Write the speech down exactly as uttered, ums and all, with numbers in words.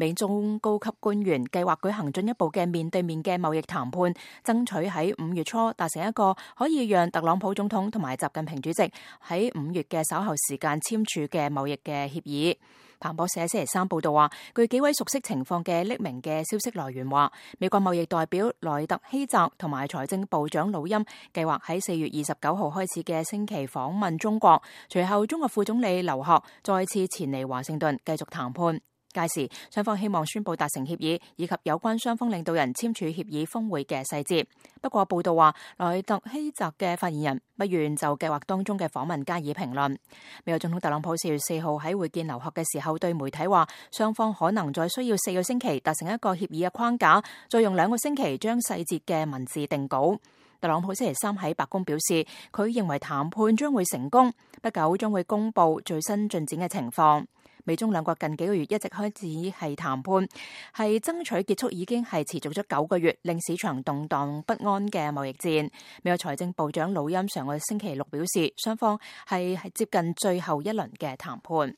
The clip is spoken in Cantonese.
美中高級官員計劃舉行進一步嘅面對面嘅貿易談判，爭取喺五月初達成一個可以讓特朗普總統同埋習近平主席喺五月嘅稍後時間簽署嘅貿易嘅協議。彭博社星期三報道話，據幾位熟悉情況嘅匿名嘅消息來源話，美國貿易代表萊特希澤同埋財政部長魯欽計劃喺四月二十九號開始嘅星期訪問中國，隨後中國副總理劉鶴再次前嚟華盛頓繼續談判。屆時，雙方希望宣布達成協議，以及有關雙方領導人簽署協議峰會嘅細節。不過報道話，萊特希澤嘅發言人不願就計劃當中嘅訪問加以評論。美國總統特朗普四月四號喺會見劉鶴嘅時候，對媒體話，雙方可能再需要四個星期達成一個協議嘅框架，再用兩個星期將細節嘅文字定稿。特朗普星期三喺白宮表示，佢認為談判將會成功，不久將會公布最新進展嘅情況。美中兩國近幾個月一直開始係談判，係爭取結束已經係持續咗九個月，令市場動盪不安嘅貿易戰。美國財政部長魯欽上個星期六表示，雙方係係接近最後一輪嘅談判。